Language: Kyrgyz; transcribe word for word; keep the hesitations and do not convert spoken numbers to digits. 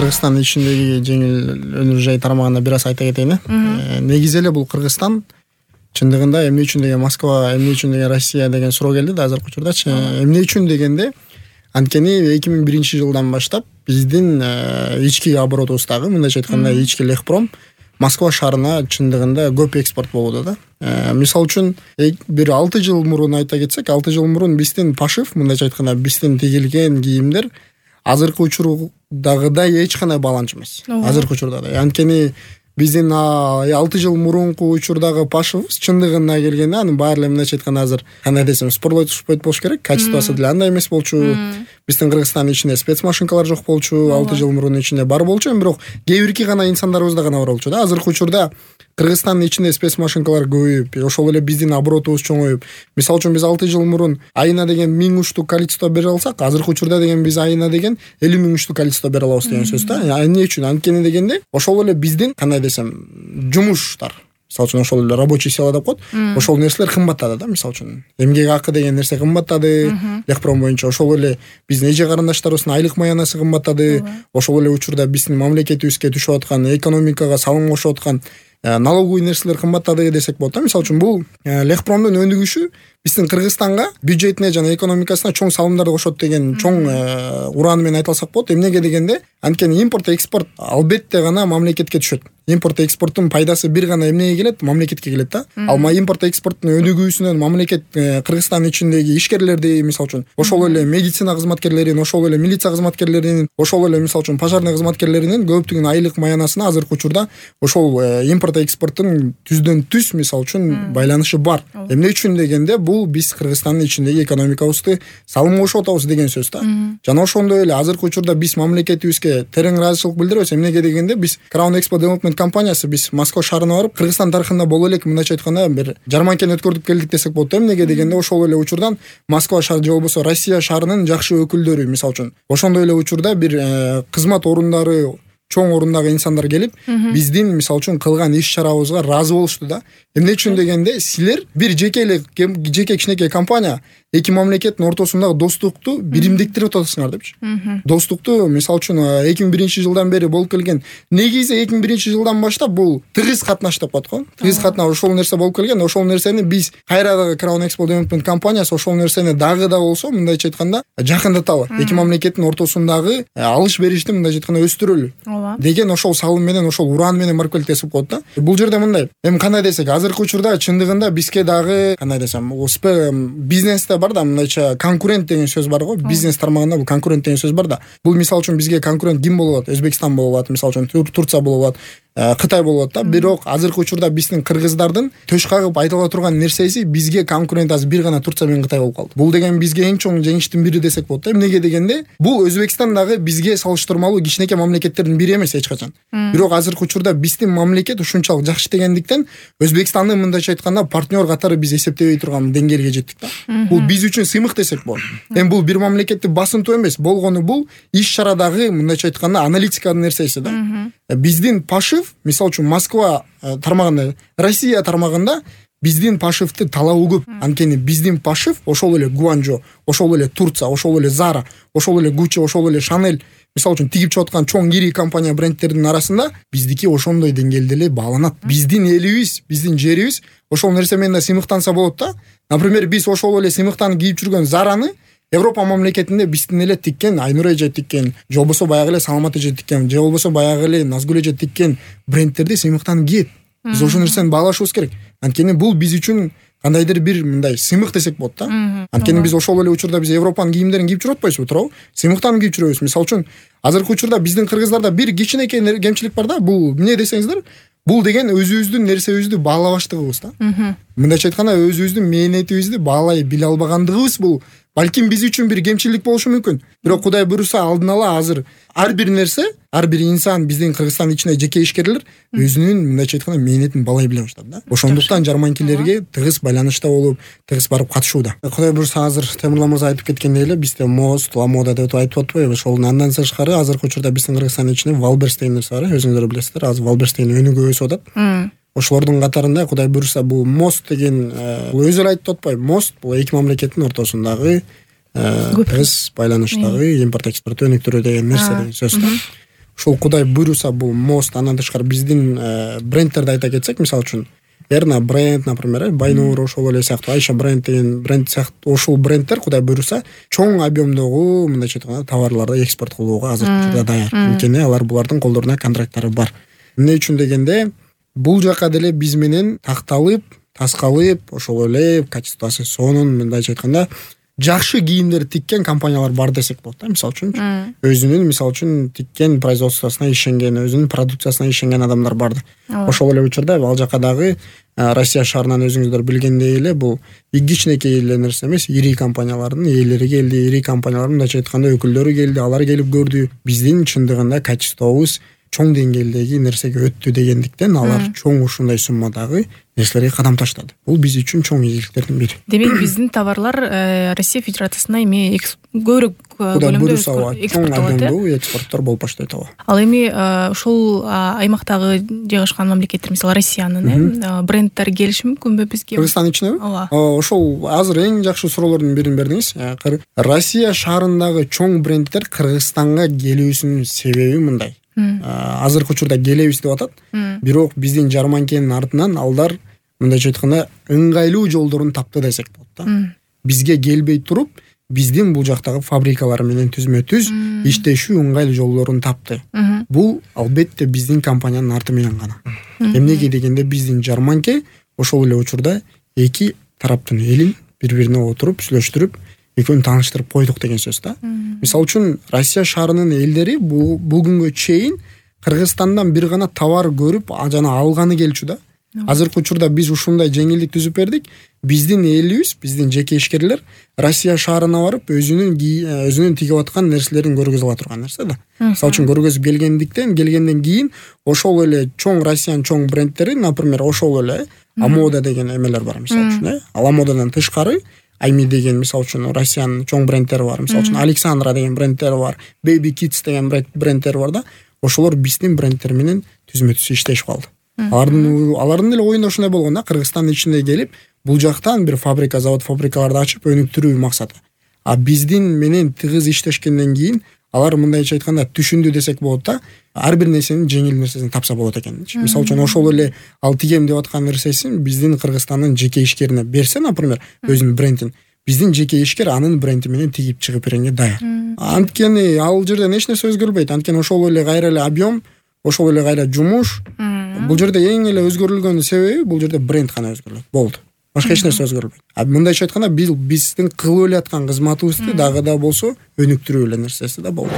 Кыргызстандын ичиндеги жеңил өнөр жай тармагына бир аз айта кетейин. Негизи эле бул Кыргызстан чындыгында эмне үчүн деген Москва, эмне үчүн деген Россия деген суроо келди да азыркы учурдачы. Эмне үчүн дегенде анткени эки миң биринчи жылдан баштап биздин ички оборотубуздагы, мындайча айтканда, ички Лехпром Москва шаарына чындыгында көп экспорт болууда да. Мисалы үчүн бир алты жыл мурун айта кетсек, алты жыл мурун биздин пашив, мындайча айтканда, биздин тигилген кийимдер азыркы учурдагыдай эч кандай бааланчу эмес. Азыркы учурда. Анткени биздин алты жыл мурунку учурдагы пашыбыз чындыгына келгенде анын баары эле мындайча айтканда азыр кандай десем спорлой түшпөйт болуш керек. Качествосы деле андай эмес болчу. Биздин Кыргызстандын ичинде спецмашинкалар жок болчу. алты жыл мурун ичинде бар болчу, бирок кээ бирки гана инсандарыбызда гана бар болчу да. Азыркы учурда Кыргызстандын ичинде спецмашинкалар көбөйүп, ошол эле биздин оборотубуз чоңоюп. Мисалы үчүн биз алты жыл мурун айына деген миң уштук количество бере алсак, азыркы учурда деген биз айына деген элүү миң уштук количество бере алабыз деген сөз да. Эмне үчүн? Анткени дегенде ошол эле биздин кандай десем, жумуштар. Мисалы үчүн ошол эле рабочий сила деп коет. Ошол нерселер кымбаттады да, мисалы үчүн. Эмгек акы деген нерсе кымбаттады. Лехпром боюнча ошол эле биздин эже карындаштарыбыздын айлык маянасы кымбаттады. Ошол эле учурда биздин мамлекетибизге түшүп аткан экономикага салым кошуп аткан налоговый нерселер кымбаттады десек болот да. Мисалы үчүн бул Лехпромдун өнүгүшү биздин Кыргызстанга бюджетине жана экономикасына чоң салымдарды кошот деген чоң урааны менен айта алсак болот. Эмнеге дегенде анткени импорт экспорт албетте гана мамлекетке түшөт. Импорт экспорттун пайдасы бир гана эмнеге келет? Мамлекетке келет да. Ал импорт экспорттун өнүгүүсүнөн мамлекет Кыргызстандын ичиндеги ишкерлерди, мисалы үчүн ошол эле медицина кызматкерлеринин, ошол эле милиция кызматкерлеринин, ошол эле мисалы үчүн пожарный кызматкерлеринин көптүгүнүн айлык маянасына азыркы учурда ошол импорт экспорттун түздөн түз мисалы үчүн байланышы бар. Эмне үчүн дегенде бул биз Кыргызстандын ичиндеги экономикабызды салым кошуп атабыз деген сөз да. Жана ошондой эле азыркы учурда биз мамлекетибизге терең ыраазычылык билдиребиз. Эмнеге дегенде биз Crown Expo Development компаниясы биз Москва шаарына барып, Кыргызстан тарыхында боло элек мындайча айтканда бир жарманкени өткөрүп келдик десек болот. Эмнеге дегенде ошол эле учурдан Москва шаары же болбосо Россия шаарынын жакшы өкүлдөрү, мисалы үчүн ошондой эле учурда бир кызмат орундары, чоң орундагы инсандар келип, биздин мисалы үчүн кылган иш чарабызга ыраазы болушту да. Эмне үчүн дегенде силер бир жеке эле жеке кичинекей компания эки мамлекеттин ортосундагы достукту биримдиктирип атасыңар депчи. Достукту мисалы үчүн эки миң биринчи жылдан бери болуп келген. Негизи эки миң биринчи жылдан баштап бул тыгыз катнаш деп коет го. Тыгыз катнаш ошол нерсе болуп келген. Ошол нерсени биз кайрадагы Crown Expo Development компаниясы ошол нерсени дагы да болсо мындайча айтканда жакындаталы. Эки мамлекеттин ортосундагы алыш беришти мындайча айтканда өстүрөлү деген ошол салым менен, ошол ураан менен барып келип десип коет да. Бул жерде мындай. Эми кандай десек, азыркы учурда чындыгында бизге дагы кандай десем, бизнесте бар да мындайча конкурент деген сөз бар го. Бизнес тармагында бул конкурент деген сөз бар да. Бул мисалы үчүн бизге конкурент ким болуп атат? Өзбекстан болуп атат, мисалы үчүн Турция болуп атат, Кытай болуп атат да. Бирок азыркы учурда биздин кыргыздардын төш кагып айтыла турган нерсеси бизге конкурент азыр бир гана Турция менен Кытай болуп калды. Бул деген бизге эң чоң жеңиштин бири десек болот да. Эмнеге дегенде бул Өзбекстан дагы бизге салыштырмалуу кичинекей мамлекеттердин бири эмес эч качан. Бирок азыркы учурда биздин мамлекет ушунчалык жакшы иштегендиктен Өзбекстанды мындайча айтканда партнер катары биз эсептебей турган деңгээлге жеттик да. Бул биз үчүн сыймык десек болот. Эми бул бир мамлекетти басынтуу эмес, болгону бул иш чарадагы мындайча айтканда аналитиканын нерсеси да. Биздин пашив, мисалы үчүн Москва тармагында, Россия тармагында биздин пашивти талабы көп. Анткени биздин пашив ошол эле Гуанчжо, ошол эле Турция, ошол эле Zara, ошол эле Gucci, ошол эле Chanel, мисалы үчүн тигип чыгып аткан чоң ири компания брендтердин арасында биздики ошондой деңгээлде эле бааланат. Биздин элибиз, биздин жерибиз ошол нерсе менен да сыймыктанса болот да. Например, биз ошол эле сыймыктан кийип жүргөн Zara'ны Европа мамлекетинде биздин эле тиккен, Айнур эже тиккен, же болбосо баягы эле Саламат эже тиккен, же болбосо баягы эле Назгүл эже тиккен брендтерди сыймыктан кийет. Биз ошол нерсени баалашыбыз керек. Анткени бул биз үчүн кандайдыр бир мындай сыймык десек болот да. Анткени биз ошол эле учурда биз Европанын кийимдерин кийип жүрүп атпайбызбы, туурабы? Сыймыктан кийип жүрөбүз. Мисалы үчүн азыркы учурда биздин кыргыздарда бир кичинекей кемчилик бар да. Бул эмне десеңиздер, бул деген өзүбүздүн нерсебизди баалабаштыгыбыз да. Мындайча айтканда өзүбүздүн мээнетибизди баалай биле албагандыгыбыз бул балким биз үчүн бир кемчилик болушу мүмкүн. Бирок Кудай буйруса алдын ала азыр ар бир нерсе, ар бир инсан биздин Кыргызстандын ичинде жеке ишкерлер өзүнүн мындайча айтканда мээнетин баалай биле баштады да. Ошондуктан жарманкилерге тыгыз байланышта болуп, тыгыз барып катышууда. Кудай буйруса азыр Темирлан мырза айтып кеткендей эле бизде мост, ламода деп айтып атпайбы? Ошол андан тышкары азыркы учурда биздин Кыргызстандын ичинде Валберс деген нерсе бар, өзүңүздөр билесиздер. Азыр Валберс деген өнүгүп өсүп атат. Ошолордун катарында Кудай буйруса бул мост деген өзү эле айтып атпайбы? Мост бул эки мамлекеттин ортосундагы тыгыз байланыштагы импорт экспорт өнүктүрүү деген нерсе деген сөз да. ушул Кудай буйруса бул мост. Андан тышкары биздин брендтерди айта кетсек, мисалы үчүн Эрна бренд, например, Байнур ошол эле сыяктуу, Айша бренд деген бренд сыяктуу ошол брендтер Кудай буйруса чоң объемдогу мындайча айтканда товарларды экспорт кылууга азыр учурда даяр. Анткени алар булардын колдоруна контракттары бар. Эмне үчүн дегенде бул жака деле биз менен такталып, таскалып, ошол эле качествосы сонун мындайча айтканда жакшы кийимдер тиккен компаниялар бар десек болот да. Мисалы үчүн өзүнүн мисалы үчүн тиккен производствосуна ишенген, өзүнүн продукциясына ишенген адамдар бар. Ошол эле учурда ал жака дагы Россия шаарынан өзүңүздөр билгендей эле бул кичинекей эле нерсе эмес, ири компаниялардын ээлери келди, ири компаниялардын мындайча айтканда өкүлдөрү келди, алар келип көрдү. Биздин чындыгында качествобуз чоң деңгээлдеги нерсеге өттү дегендиктен алар чоң ушундай суммадагы нерселерге кадам таштады. Бул биз үчүн чоң ийгиликтердин бири. Демек биздин товарлар Россия Федерациясына эми көбүрөөк көлөмдө экспорттолот, экспорттор болуп баштайт. Ал эми ошол аймактагы жайгашкан мамлекеттер, мисалы Россиянын брендтери келиши мүмкүнбү бизге? Кыргызстан ичинеби? Ошол азыр эң жакшы суроолордун бирин бердиңиз. Россия шаарындагы чоң брендтер Кыргызстанга келүүсүнүн себеби мындай. Азыркы учурда келебиз деп атат. Бирок биздин жарманкенин артынан алдар мындайча айтканда ыңгайлуу жолдорун тапты десек болот да. Бизге келбей туруп, биздин бул жактагы фабрикалар менен түзмө-түз иштешүү ыңгайлуу жолдорун тапты. Бул албетте биздин компаниянын арты менен гана. Эмнеге дегенде биздин жарманке ошол эле учурда эки тараптын элин бири-бирине отуруп сүйлөштүрүп, экөөнү тааныштырып койдук деген сөз да. Мисалы үчүн Россия шаарынын элдери бүгүнгө чейин Кыргызстандан бир гана товар көрүп, жана алганы келчү да. Азыркы учурда биз ушундай жеңилдик түзүп бердик. Биздин элибиз, биздин жеке ишкерлер Россия шаарына барып өзүнүн өзүнүн тигип аткан нерселерин көргөзүп ала турган нерсе да. Мисалы үчүн көргөзүп келгендиктен, келгенден кийин ошол эле чоң Россиянын чоң брендтери, например, ошол эле Амода деген эмелер бар, мисалы үчүн, ал Амодадан тышкары Айми деген мисалы үчүн Россиянын чоң брендтери бар. Мисалы үчүн Александра деген брендтери бар, Baby Kids деген брендтери бар да. Ошолор биздин брендтер менен түзмө-түз иштешип калды. Алардын алардын эле оюнда ушундай болгон да, Кыргызстандын ичинде келип, бул жактан бир фабрика, завод, фабрикаларды ачып өнүктүрүү максаты. А биздин менен тыгыз иштешкенден кийин алар мындайча айтканда түшүндү десек болот да, ар бир нерсенин жеңил нерсесин тапса болот экен. Мисалы үчүн ошол эле ал тигем деп аткан нерсесин биздин Кыргызстандын жеке ишкерине берсе, например, өзүнүн брендин, биздин жеке ишкер анын бренди менен тигип чыгып бергенге даяр. Анткени ал жерден эч нерсе өзгөрбөйт. Анткени ошол эле кайра эле объем, ошол эле кайра жумуш. Бул жерде эң эле өзгөрүлгөн себеби бул жерде бренд гана өзгөрүлөт. Болду. Башка эч нерсе өзгөрбөйт. А мындайча айтканда биз биздин кылып эле аткан кызматыбызды дагы да болсо өнүктүрүү эле нерсеси да болду.